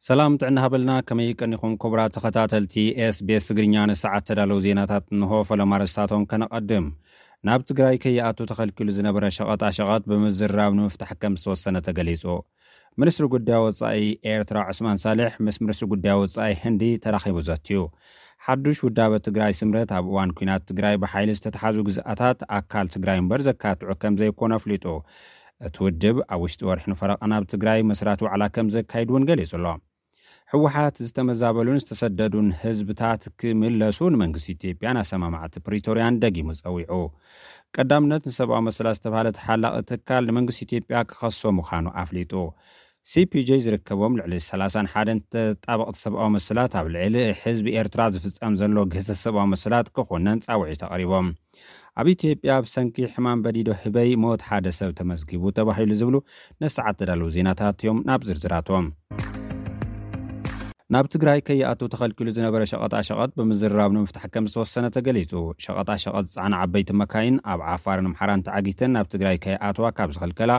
ሰላም ጥዕና ሃበልና፣ ከመይ ቀኒኹም ክቡራት ተኸታተልቲ ኤስቢኤስ ትግርኛ? ንሰዓት ተዳለዉ ዜናታት እንሆ። ፈለማ ኣርእስታቶም ከነቐድም። ናብ ትግራይ ከይኣቱ ተኸልኪሉ ዝነበረ ሸቐጣ ሸቐጥ ብምዝራብ ንምፍታሕ ከም ዝተወሰነ ተገሊጹ። ሚኒስትሪ ጉዳይ ወጻኢ ኤርትራ ዑስማን ሳልሕ ምስ ሚኒስትሪ ጉዳይ ወጻኢ ህንዲ ተራኺቡ ዘትዩ። ሓዱሽ ውዳበ ትግራይ ስምረት ኣብ እዋን ኲናት ትግራይ ብሓይሊ ዝተተሓዙ ግዝኣታት ኣካል ትግራይ እምበር ዘካትዑ ከም ዘይኮነ ኣፍሊጡ። እቲ ውድብ ኣብ ውሽጢ ወርሒ ንፈረቓ ናብ ትግራይ መስራት ዋዕላ ከም ዘካይድ እውን ገሊጹ ኣሎ። ህወሓት ዝተመዛበሉን ዝተሰደዱን ህዝብታት ክምለሱ ንመንግስቲ ኢትዮጵያን ኣሰማማዕቲ ፕሪቶርያን ደጊሙ ጸዊዑ። ቀዳምነት ንሰብኣዊ መሰላት ዝተባህለ ተሓላቒ ትካል ንመንግስቲ ኢትዮጵያ ክኸሶ ምዃኑ ኣፍሊጡ። ሲፒጄ ዝርከቦም ልዕሊ ሰላሳን ሓደን ተጣበቕቲ ሰብኣዊ መሰላት ኣብ ልዕሊ ህዝቢ ኤርትራ ዝፍጸም ዘሎ ግህሰት ሰብኣዊ መሰላት ክኹነን ጻውዒት ኣቕሪቦም። ኣብ ኢትዮጵያ ብሰንኪ ሕማም በዲዶ ህበይ ሞት ሓደ ሰብ ተመዝጊቡ ተባሂሉ ዝብሉ ንሰዓት ተዳለዉ ዜናታት እዮም። ናብ ዝርዝራቶም። ናብ ትግራይ ከይኣቱ ተኸልኪሉ ዝነበረ ሸቐጣ ሸቐጥ ብምዝርራብ ንምፍታሕ ከም ዝተወሰነ ተገሊጹ። ሸቐጣ ሸቐጥ ዝጸዓና ዓበይቲ መካይን ኣብ ዓፋርን ኣምሓራን ተዓጊተን ናብ ትግራይ ከይኣትዋ ካብ ዝኸልከላ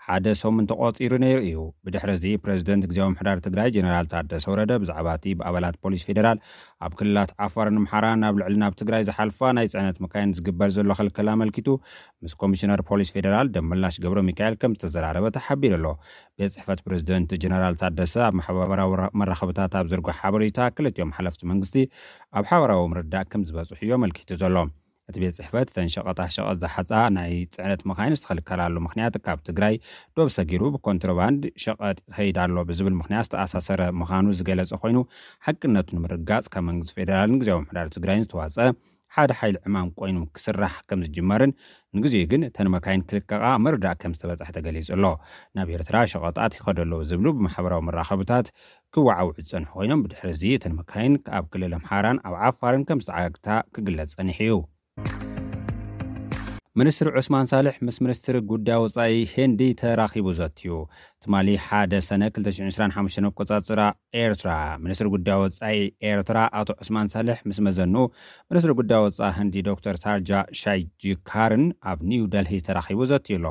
ሓደ ሰሙን ተቖጺሩ ነይሩ እዩ። ብድሕሪ እዚ ፕሬዝደንት ግዜያዊ ምሕዳር ትግራይ ጀነራል ታደሰ ወረደ ብዛዕባ እቲ ብኣባላት ፖሊስ ፌዴራል ኣብ ክልላት ዓፋርን ኣምሓራን ናብ ልዕሊ ናብ ትግራይ ዝሓልፋ ናይ ጽዕነት መካይን ዝግበር ዘሎ ክልከላ ኣመልኪቱ ምስ ኮሚሽነር ፖሊስ ፌዴራል ደመላሽ ገብረ ሚካኤል ከም ዝተዘራረበ ተሓቢሩ ኣሎ። ቤት ጽሕፈት ፕሬዝደንት ጀነራል ታደሰ ኣብ ማሕበራዊ መራኸብታት ኣብ ዘርግሖ ሓበሬታ ክልቲኦም ሓለፍቲ መንግስቲ ኣብ ሓበራዊ ምርዳእ ከም ዝበጽሑ እዩ ኣመልኪቱ ዘሎ። እቲ ቤት ጽሕፈት እተን ሸቐጣ ሸቐጥ ዝሓጻ ናይ ጽዕነት መኻይን ዝተኸልከላሉ ምኽንያት ካብ ትግራይ ዶብ ሰጊሩ ብኮንትሮባንድ ሸቐጥ ይኸይድ ኣሎ ብዝብል ምኽንያት ዝተኣሳሰረ ምዃኑ ዝገለጸ ኮይኑ ሓቅነቱ ንምርጋጽ ካብ መንግስቲ ፌዴራልን ግዜያዊ ምሕዳር ትግራይን ዝተዋጸ ሓደ ሓይሊ ዕማም ኮይኑ ክስራሕ ከም ዝጅመርን ንግዜኡ ግን እተን መካይን ክልቀቓ ምርዳእ ከም ዝተበጽሐ ተገሊጹ ኣሎ። ናብ ኤርትራ ሸቐጣት ይኸዱ ኣለዉ ዝብሉ ብማሕበራዊ መራኸብታት ክወዓውዑ ዝጸንሑ ኮይኖም ብድሕሪ እዚ እተን መካይን ኣብ ክልል ኣምሓራን ኣብ ዓፋርን ከም ዝተዓግታ ክግለጽ ጸኒሑ እዩ። ሚኒስትር ዑስማን ሳልሕ ምስ ሚኒስትር ጉዳይ ወጻኢ ህንዲ ተራኺቡ ዘትዩ። ትማሊ ሓደ ሰነ ክልተ ሽሕን ዕስራን ሓሙሽተን ኣቆጻጽራ ኤርትራ፣ ሚኒስትር ጉዳይ ወጻኢ ኤርትራ ኣቶ ዑስማን ሳልሕ ምስ መዘኑ ሚኒስትር ጉዳይ ወጻኢ ህንዲ ዶክተር ሳርጃ ሻይጂካርን ኣብ ኒው ደልሂ ተራኺቡ ዘትዩ ኣሎ።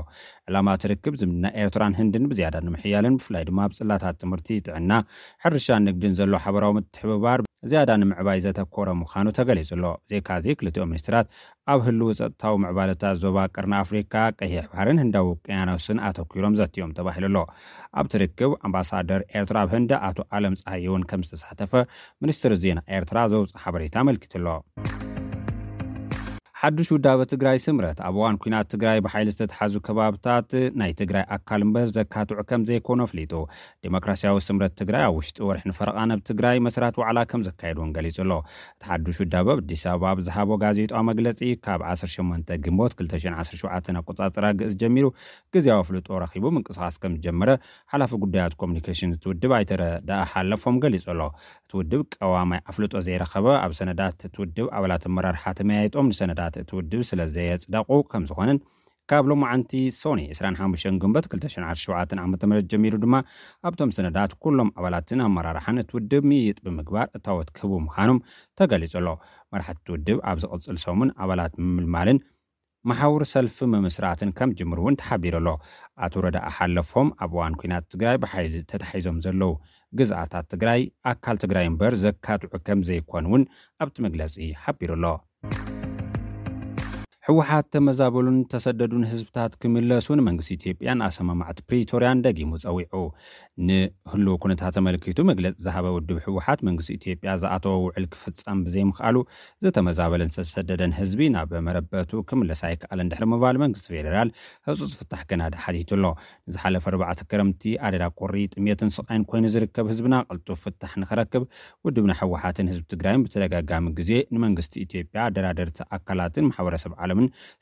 ዕላማ እቲ ርክብ ዝምድና ኤርትራን ህንድን ብዝያዳ ንምሕያልን ብፍላይ ድማ ኣብ ጽላታት ትምህርቲ፣ ጥዕና፣ ሕርሻን ንግድን ዘሎ ሓበራዊ ምትሕብባር ዝያዳ ንምዕባይ ዘተኮረ ምዃኑ ተገሊጹ ኣሎ። ብዘይካዚ ክልቲኦም ሚኒስትራት ኣብ ህልው ጸጥታዊ ምዕባለታት ዞባ ቀርኒ ኣፍሪካ፣ ቀይሕ ባሕርን ህንዳዊ ውቅያኖስን ኣተኲሮም ዘትዮም ተባሂሉ ኣሎ። ኣብቲ ርክብ ኣምባሳደር ኤርትራ ኣብ ህንዲ ኣቶ ኣለም ጸሃየ እውን ከም ዝተሳተፈ ሚኒስትሪ ዜና ኤርትራ ዘውፅኦ ሓበሬታ ኣመልኪቱ ኣሎ። ሓዱሽ ውዳበ ትግራይ ስምረት ኣብ እዋን ኲናት ትግራይ ብሓይሊ ዝተተሓዙ ከባብታት ናይ ትግራይ ኣካል እምበር ዘካትዑ ከም ዘይኮኑ ኣፍሊጡ። ዴሞክራሲያዊ ስምረት ትግራይ ኣብ ውሽጢ ወርሒ ንፈረቓ ናብ ትግራይ መስራት ዋዕላ ከም ዘካየድ እውን ገሊጹ ኣሎ። እቲ ሓዱሽ ውዳበ ኣብ ኣዲስ ኣበባ ኣብ ዝሃቦ ጋዜጣዊ መግለጺ ካብ ዓሰርተ ሸሞንተ ግንቦት ክልተ ሽሕን ዓሰርተ ሸውዓተን ኣቆጻጽራ ግእዝ ጀሚሩ ግዜያዊ ኣፍልጦ ረኺቡ ምንቅስቓስ ከም ዝጀመረ ሓላፊ ጉዳያት ኮሚኒኬሽን እቲ ውድብ ኣይተ ረዳኢ ሓለፎም ገሊጹ ኣሎ። እቲ ውድብ ቀዋማይ ኣፍልጦ ዘይረኸበ ኣብ ሰነዳት እቲ ውድብ ኣባላት ኣመራርሓ ተመያይጦም ንሰነዳት እቲ ውድብ ስለ ዘየጽደቑ ከም ዝኾነን ካብ ሎማዓንቲ ሶኒ ዕስራን ሓሙሽተን ግንቦት ክልተ ሽሕን ዓሰርተ ሸውዓተን ዓመተ ምህረት ጀሚሩ ድማ ኣብቶም ሰነዳት ኩሎም ኣባላትን ኣመራርሓን እቲ ውድብ ምይይጥ ብምግባር እታወት ክህቡ ምዃኖም ተገሊጹ ኣሎ። መራሕቲ እቲ ውድብ ኣብ ዝቕጽል ሰሙን ኣባላት ምምልማልን መሓውር ሰልፊ ምምስራትን ከም ጅምሩ እውን ተሓቢሩ ኣሎ። ኣቶ ረዳኢ ሓለፎም ኣብ እዋን ኲናት ትግራይ ብሓይሊ ተታሒዞም ዘለዉ ግዝኣታት ትግራይ ኣካል ትግራይ እምበር ዘካትዑ ከም ዘይኮኑ እውን ኣብቲ መግለጺ ሓቢሩ ኣሎ። ህወሓት ተመዛበሉን ተሰደዱን ህዝብታት ክምለሱ ንመንግስቲ ኢትዮጵያን ኣሰማማዕቲ ፕሪቶርያን ደጊሙ ጸዊዑ። ንህልው ኩነታት ተመልኪቱ መግለጺ ዝሃበ ውድብ ህወሓት መንግስቲ ኢትዮጵያ ዝኣተወ ውዕል ክፍጸም ብዘይምኽኣሉ ዝተመዛበለን ዝተሰደደን ህዝቢ ናብ መረበቱ ክምለስ ኣይከኣለን ድሕሪ ምባል መንግስቲ ፌዴራል ህጹጽ ፍታሕ ከናዲ ሓቲቱ ኣሎ። ንዝሓለፈ ኣርባዕተ ክረምቲ ኣደዳ ቁሪ ጥሜትን ስቓይን ኮይኑ ዝርከብ ህዝብና ቅልጡፍ ፍታሕ ንኽረክብ ውድብና ህወሓትን ህዝቢ ትግራይን ብተደጋጋሚ ግዜ ንመንግስቲ ኢትዮጵያ ኣደራደርቲ ኣካላትን ማሕበረሰብ ዓለምን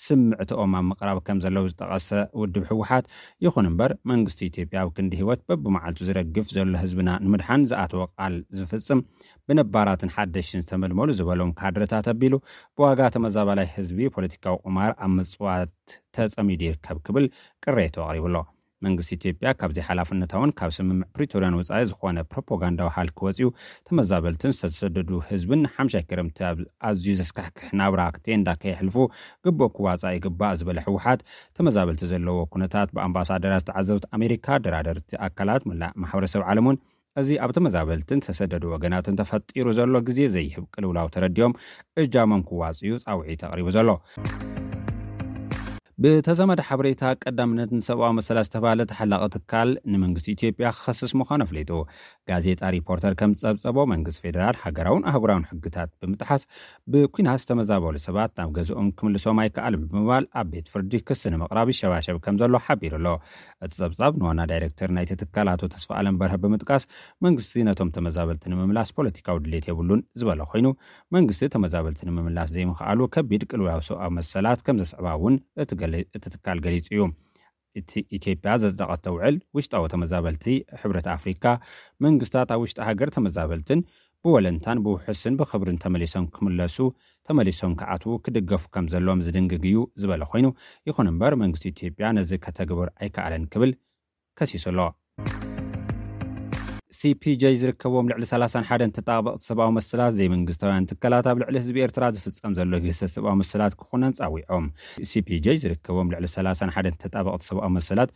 ስምዕትኦም ኣብ ምቕራብ ከም ዘለዉ ዝጠቐሰ ውድብ ህወሓት ይኹን እምበር መንግስቲ ኢትዮጵያ ኣብ ክንዲ ህይወት በብመዓልቱ ዝረግፍ ዘሎ ህዝብና ንምድሓን ዝኣተወ ቃል ዝፍጽም ብነባራትን ሓደሽትን ዝተመልመሉ ዝበሎም ካድረታት ኣቢሉ ብዋጋ ተመዛባላይ ህዝቢ ፖለቲካዊ ቁማር ኣብ ምጽዋት ተጸሚዱ ይርከብ ክብል ቅሬቱ ኣቕሪቡ ኣሎ። መንግስቲ ኢትዮጵያ ካብ ዘይሓላፍነታውን ካብ ስምምዕ ፕሪቶርያን ወጻኢ ዝኾነ ፕሮፓጋንዳዊ ሃልኪ ወጺኡ ተመዛበልትን ዝተሰደዱ ህዝብን ሓምሻይ ክረምቲ ኣብ ኣዝዩ ዘስካሕክሕ ናብራ ቴንዳ ከየሕልፉ ግቡእ ክዋጻእ ይግባእ ዝበለ ህወሓት ተመዛበልቲ ዘለዎ ኩነታት ብኣምባሳደራት ዝተዓዘብቲ ኣሜሪካ ኣደራደርቲ ኣካላት መላእ ማሕበረሰብ ዓለም እውን እዚ ኣብ ተመዛበልትን ዝተሰደዱ ወገናትን ተፈጢሩ ዘሎ ግዜ ዘይህብ ቅልውላው ተረዲኦም እጃሞም ክዋፅኡ ፃውዒት ኣቕሪቡ ዘሎ። ብተዛማዲ ሓበሬታ፣ ቀዳምነት ንሰብኣዊ መሰላት ዝተባህለ ተሓላቒ ትካል ንመንግስቲ ኢትዮጵያ ክኸስስ ምዃኑ ኣፍሊጡ። ጋዜጣ ሪፖርተር ከም ዝጸብጸቦ፣ መንግስቲ ፌደራል ሃገራውን ኣህጉራውን ሕግታት ብምጥሓስ ብኲናት ዝተመዛበሉ ሰባት ናብ ገዝኦም ክምልሶም ኣይከኣልን ብምባል ኣብ ቤት ፍርዲ ክሲ ንምቕራብ ይሸባሸብ ከም ዘሎ ሓቢሩ ኣሎ። እቲ ጸብጻብ ንዋና ዳይሬክተር ናይቲ ትካል ኣቶ ተስፋ ኣለም በርሀ ብምጥቃስ፣ መንግስቲ ነቶም ተመዛበልቲ ንምምላስ ፖለቲካዊ ድሌት የብሉን ዝበለ ኮይኑ፣ መንግስቲ ተመዛበልቲ ንምምላስ ዘይምኽኣሉ ከቢድ ቅልውላው ሰብኣዊ መሰላት ከም ዘስዕባ እውን እቲ ገለ-፣ እቲ ትካል ገሊጹ እዩ። እቲ ኢትዮጵያ ዘጽደቐቶ ውዕል ውሽጣዊ ተመዛበልቲ፣ ሕብረት ኣፍሪካ መንግስታት ኣብ ውሽጢ ሃገር ተመዛበልትን ብወለንታን ብውሑስን ብኽብርን ተመሊሶም ክምለሱ፣ ተመሊሶም ክኣትዉ ክድገፉ ከም ዘለዎም ዝድንግግ እዩ ዝበለ ኮይኑ፣ ይኹን እምበር መንግስቲ ኢትዮጵያ ነዚ ከተግብር ኣይከኣለን ክብል ከሲሱ ኣሎ። ሲ ፒ ጄ ዝርከቦም ልዕሊ ሰላሳን ሓደን ተጣበቕቲ ሰብኣዊ መሰላት ዘይመንግስታውያን ትካላት ኣብ ልዕሊ ህዝቢ ኤርትራ ዝፍጸም ዘሎ ግህሰት ሰብኣዊ መሰላት ክኹነን ጻዊዖም። ሲ ፒ ጄ ዝርከቦም ልዕሊ ሰላሳን ሓደን ተጣበቕቲ ሰብኣዊ መሰላት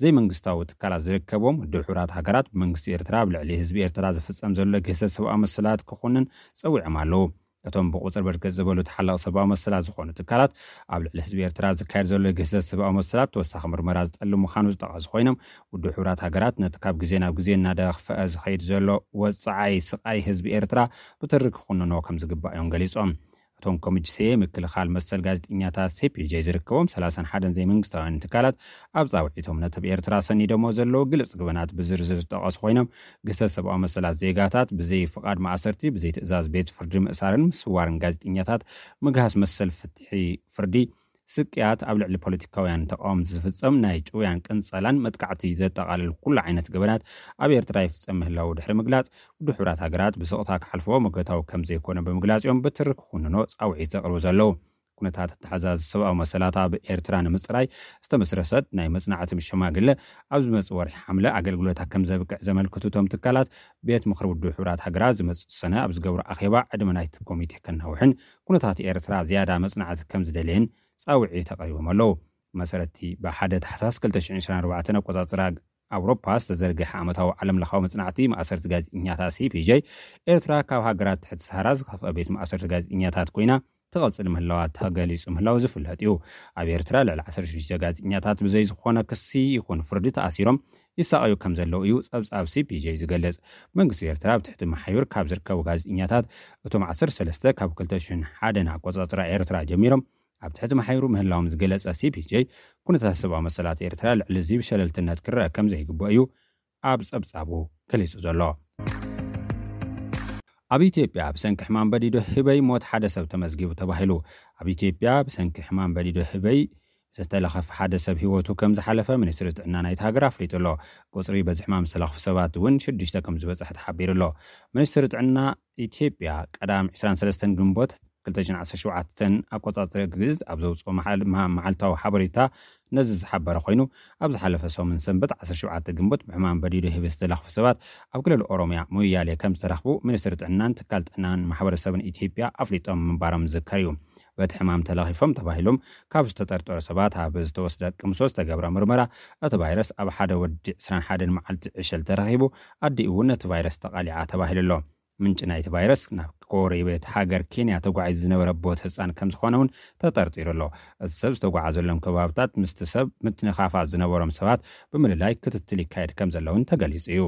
ዘይመንግስታዊ ትካላት ዝርከቦም ውድብ ሕቡራት ሃገራት ብመንግስቲ ኤርትራ ኣብ ልዕሊ ህዝቢ ኤርትራ ዝፍጸም ዘሎ ግህሰት ሰብኣዊ መሰላት ክኹነን ጸዊዖም ኣለዉ። እቶም ብቁጽሪ በርከት ዝበሉ ተሓላቒ ሰብኣዊ መሰላት ዝኾኑ ትካላት ኣብ ልዕሊ ህዝቢ ኤርትራ ዝካየድ ዘሎ ግህሰት ሰብኣዊ መሰላት ተወሳኺ ምርመራ ዝጠልብ ምዃኑ ዝጠቐሱ ኮይኖም፣ ውድብ ሕቡራት ሃገራት ነቲ ካብ ግዜ ናብ ግዜ እናደኽፈአ ዝኸይድ ዘሎ ወጽዓይ ስቓይ ህዝቢ ኤርትራ ብትሪ ክኹንኖ ከም ዝግባእ እዮም ገሊጾም። እቶም ኮሚቴ ምክልኻል መሰል ጋዜጠኛታት ሲ ፒ ጄ ዝርከቦም ሰላሳን ሓደን ዘይመንግስታውያን ትካላት ኣብ ጻውዒቶም ነቲ ብኤርትራ ሰኒዶሞ ዘለዉ ግልጽ ገበናት ብዝርዝር ዝጠቐሱ ኮይኖም፣ ግህሰት ሰብኣዊ መሰላት ዜጋታት፣ ብዘይ ፍቓድ ማእሰርቲ፣ ብዘይ ትእዛዝ ቤት ፍርዲ ምእሳርን ምስዋርን ጋዜጠኛታት፣ ምግሃስ መሰል ፍትሒ ፍርዲ፣ ስቅያት፣ ኣብ ልዕሊ ፖለቲካውያን ተቃወምቲ ዝፍጸም ናይ ጭውያን ቅንጸላን መጥቃዕቲ ዘጠቓልል ኩሉ ዓይነት ገበናት ኣብ ኤርትራ ይፍጸም ምህላዉ ድሕሪ ምግላጽ፣ ውድብ ሕቡራት ሃገራት ብስቕታ ክሓልፍዎ መገታዊ ከም ዘይኮነ ብምግላጽ እዮም ብትሪ ክኹንኖ ጻውዒት ዘቕርቡ ዘለዉ። ኩነታት ኣተሓዛዚ ሰብኣዊ መሰላት ኣብ ኤርትራ ንምጽራይ ዝተመስረተት ናይ መጽናዕቲ ሸማግለ ኣብ ዝመጽእ ወርሒ ሓምለ ኣገልግሎታ ከም ዘብቅዕ ዘመልክቱ እቶም ትካላት፣ ቤት ምኽሪ ውድብ ሕቡራት ሃገራት ዝመጽእ ሰነ ኣብ ዝገብሮ ኣኼባ ዕድመ ናይቲ ኮሚቴ ከናውሕን ኩነታት ኤርትራ ዝያዳ መጽናዕቲ ከም ዝደልየን ጻውዒት ኣቕሪቦም ኣለዉ። መሰረቲ ብሓደ ታሕሳስ ክልተ ሽሕን ዕስራን ኣርባዕተን ኣቆጻጽራ ኣውሮፓ ዝተዘርግሐ ዓመታዊ ዓለም ለኻዊ መጽናዕቲ ማእሰርቲ ጋዜጠኛታት ሲ ፒ ጄ፣ ኤርትራ ካብ ሃገራት ትሕቲ ሰሃራ ዝኸፍአ ቤት ማእሰርቲ ጋዜጠኛታት ኮይና ትቐጽል ምህላዋ ተገሊጹ ምህላው ዝፍለጥ እዩ። ኣብ ኤርትራ ልዕሊ ዓሰርተ ሽዱሽተ ጋዜጠኛታት ብዘይ ዝኾነ ክሲ ይኹን ፍርዲ ተኣሲሮም ይሳቐዩ ከም ዘለዉ እዩ ጸብጻብ ሲ ፒ ጄ ዝገልጽ። መንግስቲ ኤርትራ ኣብ ትሕቲ መሓዩር ካብ ዝርከቡ ጋዜጠኛታት እቶም ዓሰርተ ሰለስተ ካብ ክልተ ሽሕን ሓደን ኣቆጻጽራ ኤርትራ ጀሚሮም ኣብ ትሕቲ መሓይሩ ምህላዎም ዝገለጸ ሲ ፒ ጄ፣ ኩነታት ሰብኣዊ መሰላት ኤርትራ ልዕሊ እዚ ብሸለልትነት ክረአ ከም ዘይግባእ እዩ ኣብ ጸብጻቡ ገሊጹ ዘሎ። ኣብ ኢትዮጵያ ብሰንኪ ሕማም በዲዶ ህበይ ሞት ሓደ ሰብ ተመዝጊቡ ተባሂሉ። ኣብ ኢትዮጵያ ብሰንኪ ሕማም በዲዶ ህበይ ዝተለኸፈ ሓደ ሰብ ህይወቱ ከም ዝሓለፈ ሚኒስትሪ ጥዕና ናይቲ ሃገር ኣፍሊጡ ኣሎ። ቁጽሪ በዚ ሕማም ዝተለኽፉ ሰባት እውን ሽዱሽተ ከም ዝበጽሐ ተሓቢሩ ኣሎ። ሚኒስትሪ ጥዕና ኢትዮጵያ ቀዳም ዕስራን ሰለስተን ግንቦት ክልተ ሽሕን ዓሰርተ ሸውዓተን ኣቆጻጽሪ ግእዝ ኣብ ዘውጽኦ መዓል-፣ መ-፣ መዓልታዊ ሓበሬታ ነዚ ዝሓበረ ኮይኑ፣ ኣብ ዝሓለፈ ሰሙን ሰንበት ዓሰርተ ሸውዓተ ግንቦት ብሕማም በዲዶ ህበይ ዝተለኽፉ ሰባት ኣብ ክልል ኦሮሚያ ሞያሌ ከም ዝተረኽቡ ሚኒስትሪ ጥዕናን ትካል ጥዕናን ማሕበረሰብን ኢትዮጵያ ኣፍሊጦም ምንባሮም ዝዝከር እዩ። በቲ ሕማም ተለኺፎም ተባሂሎም ካብ ዝተጠርጠሩ ሰባት ኣብ ዝተወስደ ቅምሶ ዝተገብረ ምርመራ፣ እቲ ቫይረስ ኣብ ሓደ ወዲ ዕስራን ሓደን መዓልቲ ዕሸል ተረኺቡ፣ ኣዲኡ እውን ነቲ ቫይረስ ተቓሊዓ ተባሂሉ ኣሎ። ምንጪ ናይቲ ቫይረስ ናብ ጎረቤት ሃገር ኬንያ ተጓዒዙ ዝነበረ ቦት ህፃን ከም ዝኾነ እውን ተጠርጢሩ ኣሎ። እቲ ሰብ ዝተጓዓዘሎም ከባብታት ምስቲ ሰብ ምትንኻፋት ዝነበሮም ሰባት ብምልላይ ክትትል ይካየድ ከም ዘሎ እውን ተገሊጹ እዩ።